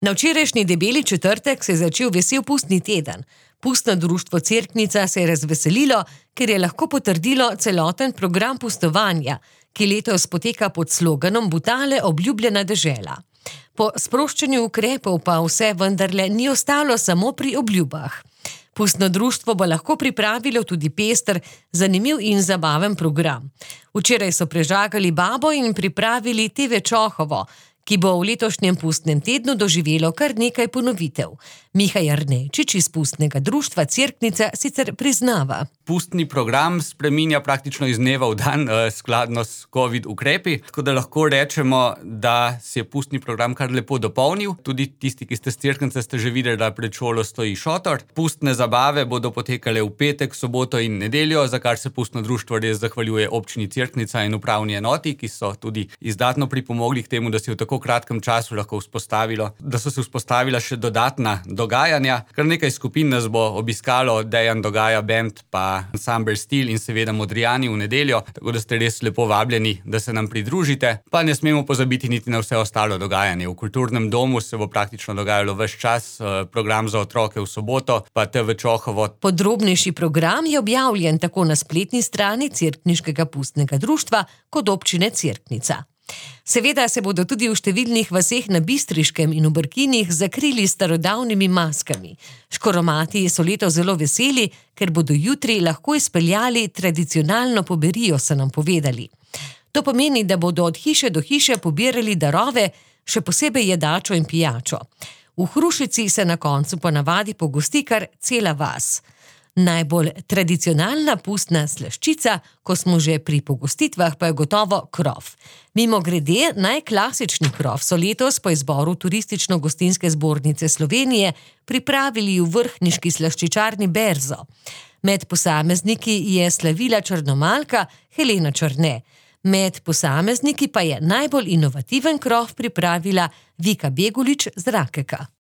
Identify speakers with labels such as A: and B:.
A: Na včerajšnji debeli četrtek se je začel vesel pustni teden. Pustno društvo Cerknica se je razveselilo, ker je lahko potrdilo celoten program pustovanja, ki letos poteka pod sloganom Butale obljubljena dežela. Po sproščanju ukrepov pa vse vendarle ni ostalo samo pri obljubah. Pustno društvo bo lahko pripravilo tudi pester, zanimiv in zabaven program. Včeraj so prežagali babo in pripravili TV Čohovo, ki bo v letošnjem pustnem tednu doživelo kar nekaj ponovitev. Miha Jarnejčič iz pustnega društva Cerknica sicer priznava.
B: Pustni program spreminja praktično iz dneva v dan, skladno s COVID ukrepi, tako da lahko rečemo, da se je pustni program kar lepo dopolnil. Tudi tisti, ki ste s Cerknice, ste že videli, da pred šolo stoji šotor. Pustne zabave bodo potekale v petek, soboto in nedeljo, za kar se pustno društvo res zahvaljuje občini Cerknica in upravni enoti, ki so tudi izdatno pripomogli k temu, da se v tako kratkem času lahko so se vzpostavila še dodatna dogajanja. Kar nekaj skupin nas bo obiskalo, Dejan Dogaja band, pa ansambel Stil in seveda Modrijani v nedeljo, tako da ste res lepo vabljeni, da se nam pridružite. Pa ne smemo pozabiti niti na vse ostalo dogajanje. V kulturnem domu se bo praktično dogajalo ves čas, program za otroke v soboto, pa TV Čohovo.
A: Podrobnejši program je objavljen tako na spletni strani Cerkniškega pustnega društva kot občine Cerknica. Seveda se bodo tudi v številnih vaseh na Bistriškem in v Brkinih zakrili s starodavnimi maskami. Škoromati so letos zelo veseli, ker bodo jutri lahko izpeljali tradicionalno poberijo, so nam povedali. To pomeni, da bodo od hiše do hiše pobirali darove, še posebej jedačo in pijačo. V Hrušici se na koncu ponavadi pogosti kar cela vas. Najbolj tradicionalna pustna slaščica, ko smo že pri pogostitvah, pa je gotovo krof. Mimogrede, najklasični krof so letos po izboru Turistično-gostinske zbornice Slovenije pripravili v vrhniški slaščičarni Berzo. Med posamezniki je slavila črnomalka Helena Črne. Med posamezniki pa je najbolj inovativen krof pripravila Vika Begulič z Rakeka.